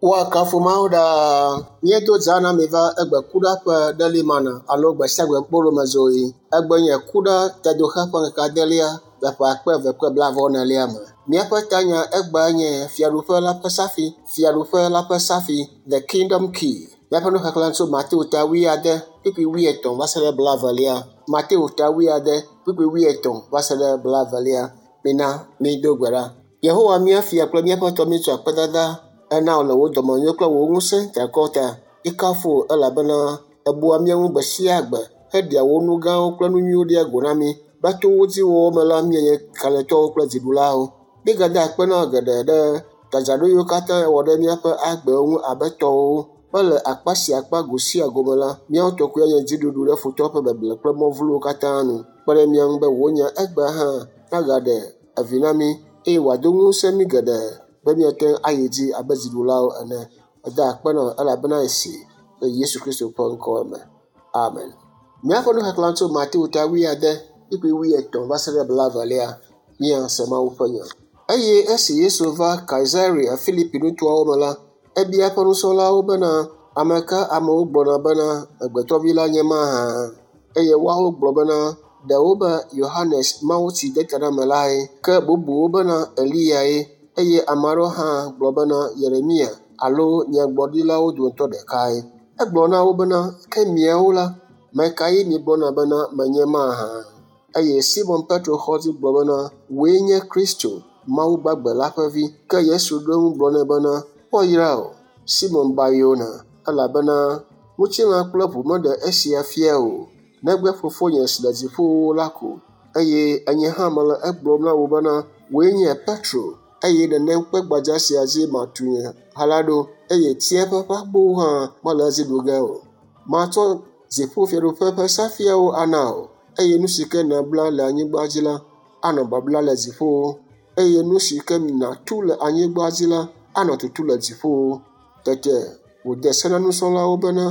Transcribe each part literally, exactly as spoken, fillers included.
Woakafu Mawu ɖaa. Míedo dza na mi va egbe kuɖa ƒe ɖelimana alo gbe sia gbe kpolomedzoɣi. Egbe nye kuɖa tedoxe ƒe ŋkeke adelia le ƒe akpe eve kple blaeve-vɔ-enelia me. Míaƒe tanya egbea nye Fiaɖuƒe la ƒe safi, Fiaɖuƒe la ƒe safi, The Kingdom Key. Míaƒe nuxexlẽ tso Mateo ta wuiade, kpukpui wuietɔ̃ va se ɖe blaevelia. Mateo ta wuiade, kpukpui wuietɔ̃ va se ɖe blaevelia. Mina mído gbe ɖa. Yehowa mía fia kple míaƒe tɔ míetsɔ akpedada ena wò le wò dɔmenyo kple wò ŋusẽ triakɔ ta. Míekafu wò elabena èbua mía ŋu gbe sia gbe heɖea wò nu gãwo kple nu nyuiwo ɖia go na mí. Be to wo dzi wɔwɔ me la, míanye kalẽtɔwo kple dziɖulawo. Míegada akpe na wò geɖe ɖe dzadzraɖo yiwo katã èwɔ ɖe míaƒe agbewo ŋu abe tɔwòwo be le akpa sia akpa go sia go me la, míawo tɔ koe nye dziɖuɖu ɖe futɔ ƒe beble kple mɔ vlowo katã nu. Kpe ɖe mía ŋu be wò nya egbea hã nagaɖe evi na mí eye wòado ŋusẽ mí geɖe be míate ŋu ayi dzi abe dziɖulawo ene. Meda akpe na wò elabena esi le Yesu Kristo ƒe ŋkɔ me. Amen. Míaƒe nuxexlẽ tso Mateo ta wuiade, kpukpui wuietɔ̃ va se ɖe blaevelia. Míase Mawu ƒe nya. Eye esi Yesu va Kaisarea Filipi nutoawo me la, ebia eƒe nusrɔ̃lawo bena, ame ka amewo gblɔna bena amegbetɔvi la nye mahã? Eye woawo gblɔ bena, ɖewo be Yohanes Mawutsidetanamelae, ke bubuwo bena Eliyae, eye ame aɖewo hã gblɔ bena Yeremia alo nyagblɔɖilawo dometɔ ɖekae. Egblɔ na wo bena, ke miawo la, ame kae miegblɔna bena menye mahã? Eye Simon Petro xɔ edzi gblɔ bena, wòe nye Kristo, Mawu gbagbe la ƒe vi. Ke Yesu ɖo eŋu gblɔ nɛ bena, woayra wò, Simon Bar-Yona, elabena ŋutilã kple ʋu meɖe esia fia o, negbe Fofonye si le dziƒowo la ko. Eye enye hã mele egblɔm na wò bena, wòe nye Petro, eye nenem kpe gbadza sia dzi matu nye ha la ɖo, eye tsiẽƒe ƒe agbowo hã mele edzi ɖu ge o. Matsɔ dziƒofiaɖuƒe ƒe safiawo ana wò, eye nu si ke nèbla le anyigba dzi la, anɔ babla le dziƒowo, eye nu si ke nàtu le anyigba dzi la, anɔ tutu le dziƒowo. Tete wòde se na nusrɔ̃lawo bena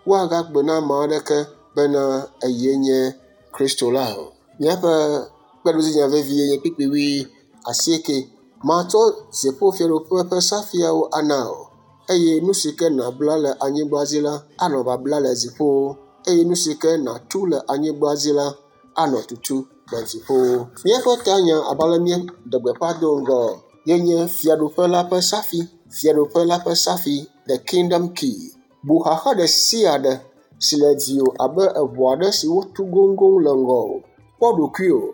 woagagblɔ na ame aɖeke bena eye nye Kristo la o. Míaƒe kpeɖodzinya vevie nye kpukpui wui asieke. Matsɔ dziƒofiaɖuƒe ƒe safiawo ana wò, eye nu si ke nàbla le anyigba dzi la, anɔ babla le dziƒowo, eye nu si ke nàtu le anyigba dzi la, anɔ tutu le dziƒowo. Míaƒe tanya abe ale míeɖe gbeƒã do ŋgɔ ye nye Fiaɖuƒe la ƒe safi, Fiaɖuƒe la ƒe safi, The Kingdom Key. Bu xaxa ɖe sia ɖe si le dziwò abe eʋu aɖe si wotu goŋgoŋ le ŋgɔwò. Kpɔ ɖokuiwò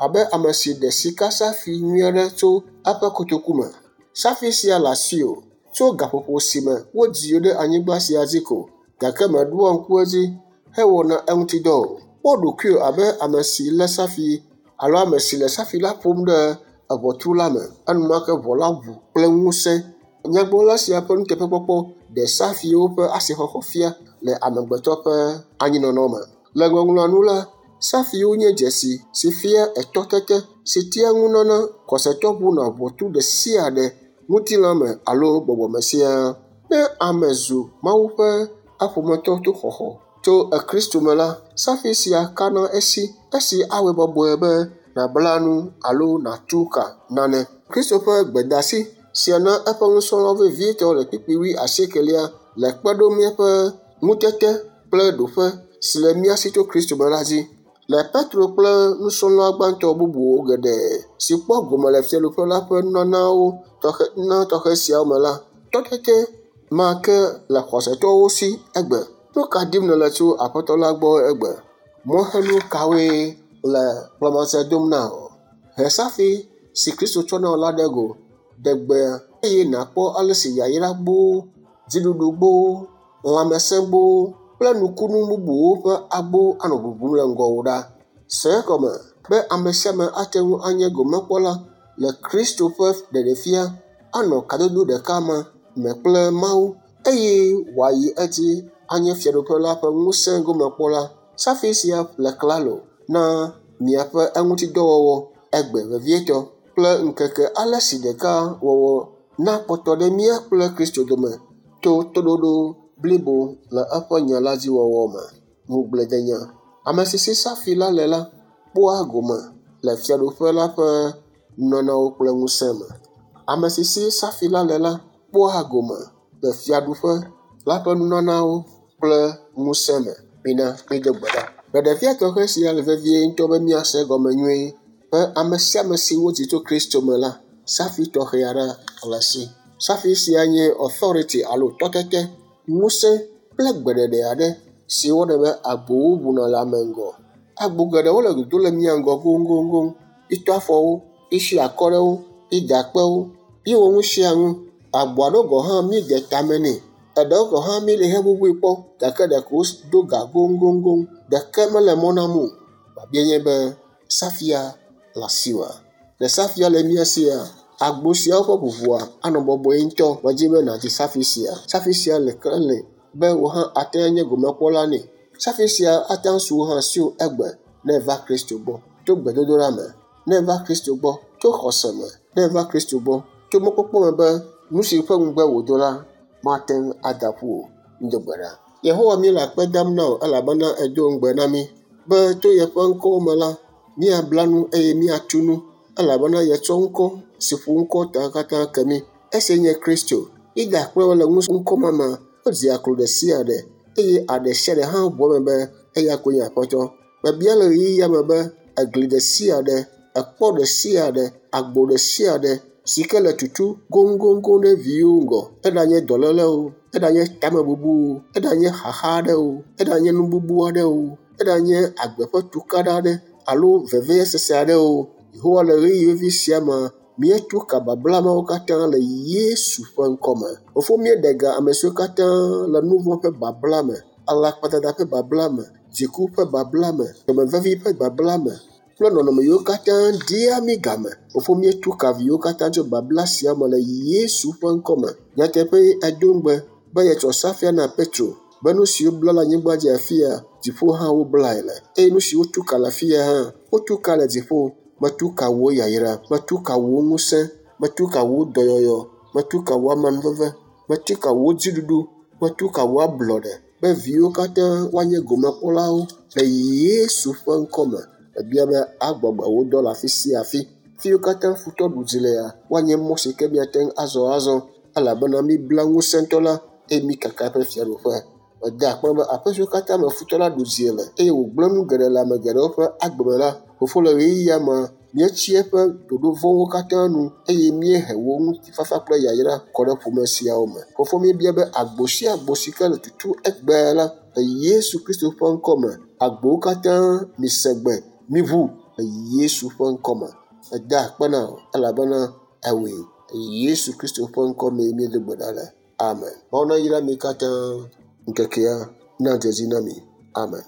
abe ame si ɖe sikasafi nyui aɖe tso eƒe kotoku me. Safi sia le asiwò tso gaƒoƒo si me wodzi wò ɖe anyigba sia dzi ko, gake mèɖoa ŋku edzi hewɔna eŋuti dɔ o. Kpɔ ɖokuiwò abe ame si lé safi alo ame si le safi la ƒom ɖe eʋɔtru la me. Enumake ʋɔ la ʋu kple ŋusẽ. Nyagblɔla sia ƒe nuteƒekpɔkpɔ ɖe safiwo ƒe asixɔxɔ fia le amegbetɔ ƒe anyinɔnɔ me. Le ŋɔŋlɔa nu la, safiwo nye dzesi si fia etɔtete si tea ŋu nana xɔsetɔ ʋuna ʋɔtru ɖe sia ɖe, ŋutilãme alo gbɔgbɔme siaa. Ne ame zu Mawu ƒe aƒometɔ to xɔxɔ tso Kristo me la, safi sia kana esi, esi awɔe bɔbɔe be nàbla nu alo nàtu ka nane. Kristo ƒe gbedasi sia na eƒe nusrɔ̃lawo vevietɔ le kpukpui wui asiekelia le kpe ɖom míaƒe ŋutete kple ɖoƒe si le mía si tso Kristo me la dzi. Le Petro kple nusrɔ̃la gbãtɔ bubuwo geɖe si kpɔ gome le Fiaɖuƒe la ƒe nunanawo tɔxɛ nunana tɔxɛ siawo me la, tɔtete ma ke le xɔsetɔwo si egbe. Nu ka dim nèle tso Aƒetɔ la gbɔ egbe? Mɔxenu kawoe le kplamatsɛ dom na wò? He safi si Kristo tsɔ na wò la ɖe go, ɖe gbea eye nàkpɔ ale si yayra gboo, dziɖuɖu gboo, lãmesẽ gboo kple nukunu bubuwo ƒe agbo anɔ ʋuʋum le ŋgɔwò ɖa. Se egɔme be ame sia ame ate ŋu anye gomekpɔla le Kristo ƒe ɖeɖefia, anɔ kadodo ɖeka ma me kple Mawu eye wòayi edzi anye Fiaɖuƒe la ƒe ŋusẽ gomekpɔla. Safi sia le klalo na miaƒe eŋutidɔwɔwɔ egbe vevietɔ kple ŋkeke ale si ɖeka wɔwɔ nakpɔtɔ ɖe mía kple Kristo dome to toɖoɖo blibo le eƒe nya la dzi wɔwɔ me. Ŋugbledenya. Ame si si safi la le la kpɔa gome le Fiaɖuƒe la ƒe nunanawo kple ŋusẽ me. Ame si si safi la le la kpɔa gome le fiaɖuƒe la ƒe nunanawo kple ŋusẽ me. Mina mído gbe ɖa. Ɖeɖefia tɔxɛ sia le vevie ŋutɔ be míase egɔme nyuie be ame sia ame si wodzi tso Kristo me la, safi tɔxɛ aɖe le esi. Safi sia nye authority alo tɔtete, ŋusẽ kple gbeɖeɖe aɖe si wɔnɛ be agbowo ʋuna le ame ŋgɔ. Agbo geɖewo le dodo le mía ŋgɔ goŋgoŋgoŋ. Mítɔ afɔwo, mísi akɔ ɖe wo, mída akpe wo, míewɔ nu sia nu. Agbo aɖewo gɔ̃ hã míede tame nɛ. Eɖewo gɔ̃ hã míele heʋuʋui kpɔ gake ɖeko wodo ga goŋgoŋgoŋ. Ɖeke mele mɔ nam o. Biabia nye be safia le asiwòa? Le safia le mía sia, agbo siawo ƒe ʋuʋua anɔ bɔbɔe ŋutɔ. Medzi be nàdzi safi sia. Safi sia le klẽ be wò hã ate ŋu anye gomekpɔla nɛ. Safi sia ate ŋu asu wò hã asiwò egbe ne èva Kristo gbɔ to gbedodoɖa me, ne èva Kristo gbɔ to xɔse me, ne èva Kristo gbɔ to mɔkpɔkpɔ me be nu si ƒe ŋugbe wòdo la mate ŋu ada ƒu o. Mído gbe ɖa. Yehowa míele akpe dam na wò elabena èdo ŋugbe na mí be to yeƒe ŋkɔwo me la, míabla nu eye míatu nu elabena yetsɔ ŋkɔ si ƒo ŋkɔ ta katã ke mí. Esia nye Kristo. Mída akpe le ŋkɔ ma me, wodzi aklo ɖe sia ɖe eye aɖe sia ɖe hã ʋu eme be eya koe nye Aƒetɔ. Mebia le ɣeyiɣia me be egli ɖe sia ɖe, ekpɔ ɖe sia ɖe, agbo ɖe sia ɖe si ke le tutu goŋgoŋgoŋ ɖe viwo ŋgɔ, eɖanye dɔléle o, eɖanye tamebubu o, eɖanye xaxa aɖe o, eɖanye nu bubu aɖe o, eɖanye agbe ƒe tukaɖa aɖe alo vevesese aɖe o. Yehowa le ɣeyiɣi vevi sia me, míetu ka babla mawo katã le Yesu ƒe ŋkɔme. Fofo míeɖe ga ame siwo katã le nu vɔ̃ ƒe babla me, alakpadada ƒe babla me, dziku ƒe babla me, dɔmevevi ƒe babla me kple nɔnɔme yiwo katã dia mí game. Fofo míetu ka viwo katã tso babla sia me le Yesu ƒe ŋkɔme. Nyateƒe edo ŋugbe be yetsɔ safia na Petro be nu siwo bla le anyigba dzi afia, dziƒo hã woblae le eye nu siwo wotu ka le afia hã, wotu ka le dziƒo. Metu ka wò yayra, metu ka wò ŋusẽ, metu ka wò dɔyɔyɔ, metu ka wò amenuveve, metu ka wò dziɖuɖu, metu ka wò ablɔɖe be viwo katã woanye gomekpɔlawo le Yesu ƒe ŋkɔme. Mebia be agbɔgbe wò dɔ le afi sia afi. Fi yiwo katã futɔ ɖu dzi lea, woanye mɔ si ke míate ŋu azɔ azɔ elabena míbla ŋusẽtɔ la eye míkaka eƒe fiaɖuƒe. Meda akpe be aƒe siwo katã me futɔ la ɖu dzi le eye wògblẽ nu geɖe le ame geɖewo ƒe agbe me la, fofo le ɣeyiɣia me, míetsi eƒe ɖoɖo vɔ̃wo katã nu eye míehe wò ŋutifafa kple yayra kɔ ɖe ƒome siawo me. Fofo míebia be agbo sia agbo si ke le tutu egbea la, le Yesu Kristo ƒe ŋkɔme, agbowo katã mise gbe, miʋu le Yesu ƒe ŋkɔme. Meda akpe na wò elabena ewɔe. Le Yesu Kristo ƒe ŋkɔmee míedo gbe ɖa le. Amen. Mawu nayra mi katã. Ŋkekea nadze edzi na mi. Amen.